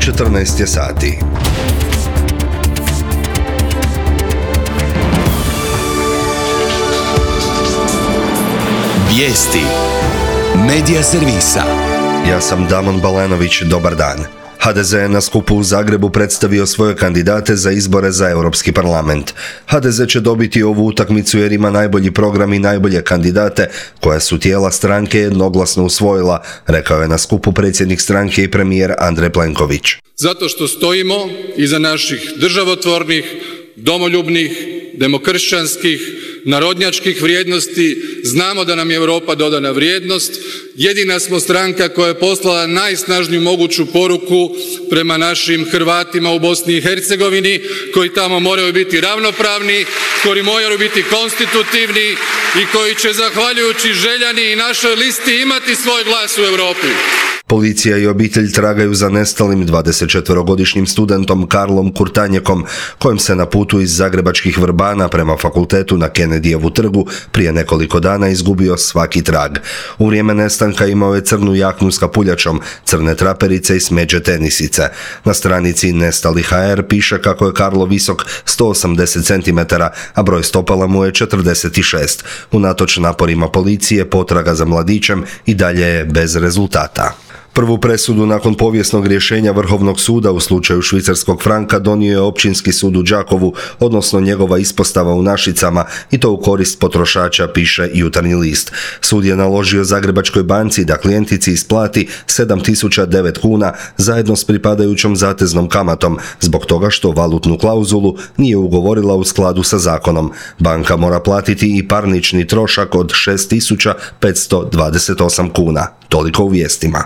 14 je sati. Vijesti Medija servisa. Ja sam Damon Balanović, dobar dan. HDZ je na skupu u Zagrebu predstavio svoje kandidate za izbore za Europski parlament. HDZ će dobiti ovu utakmicu jer ima najbolji program i najbolje kandidate koja su tijela stranke jednoglasno usvojila, rekao je na skupu predsjednik stranke i premijer Andrej Plenković. Zato što stojimo iza naših državotvornih, domoljubnih, demokršćanskih, narodnjačkih vrijednosti, znamo da nam je Europa dodana vrijednost, jedina smo stranka koja je poslala najsnažniju moguću poruku prema našim Hrvatima u Bosni i Hercegovini, koji tamo moraju biti ravnopravni, koji moraju biti konstitutivni i koji će zahvaljujući Željani i našoj listi imati svoj glas u Europi. Policija i obitelj tragaju za nestalim 24-godišnjim studentom Karlom Kurtanjekom, kojem se na putu iz zagrebačkih Vrbana prema fakultetu na Kennedyjevu trgu prije nekoliko dana izgubio svaki trag. U vrijeme nestanka imao je crnu jaknu s kapuljačom, crne traperice i smeđe tenisice. Na stranici Nestali.hr piše kako je Karlo visok 180 cm, a broj stopala mu je 46. Unatoč naporima policije, potraga za mladićem i dalje je bez rezultata. Prvu presudu nakon povijesnog rješenja Vrhovnog suda u slučaju švicarskog franka donio je Općinski sud u Đakovu, odnosno njegova ispostava u Našicama, i to u korist potrošača, piše Jutarnji list. Sud je naložio Zagrebačkoj banci da klijentici isplati 7.009 kuna zajedno s pripadajućom zateznom kamatom, zbog toga što valutnu klauzulu nije ugovorila u skladu sa zakonom. Banka mora platiti i parnični trošak od 6.528 kuna. Toliko u vijestima.